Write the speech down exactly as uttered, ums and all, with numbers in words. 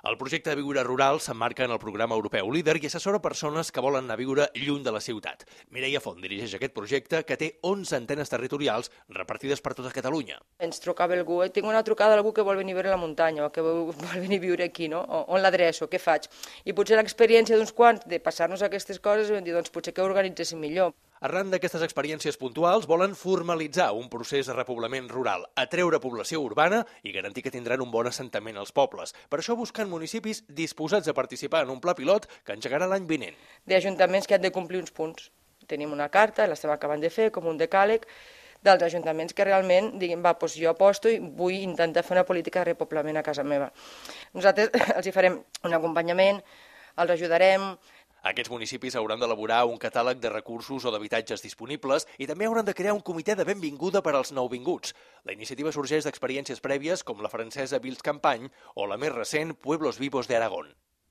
El projecte de Viure Rural s'emmarca en el programa europeu Líder i assessora persones que volen anar a viure lluny de la ciutat. Mireia Font dirigeix aquest projecte, que té onze antenes territorials repartides per tota Catalunya. Ens trucava algú, eh? tinc una trucada d'algú que vol venir a viure a la muntanya o que vol venir a viure aquí, no? O, on l'adreço, què faig? I potser l'experiència d'uns quants de passar-nos aquestes coses vam dir, doncs potser que ho organitzéssim millor. Arran d'aquestes experiències puntuals, volen formalitzar un procés de repoblament rural, atreure població urbana i garantir que tindran un bon assentament als pobles. Per això busquen municipis disposats a participar en un pla pilot que engegarà l'any vinent. D'ajuntaments que han de complir uns punts. Tenim una carta, l'estem acabant de fer, com un decàleg, dels ajuntaments que realment diguin, va, doncs jo aposto i vull intentar fer una política de repoblament a casa meva. Nosaltres els hi farem un acompanyament, els ajudarem. Aquests municipis hauran d'elaborar un catàleg de recursos o d'habitatges disponibles i també hauran de crear un comitè de benvinguda per als nouvinguts. La iniciativa sorgeix d'experiències prèvies com la francesa Vils Campagne o la més recent Pueblos Vivos de Aragón.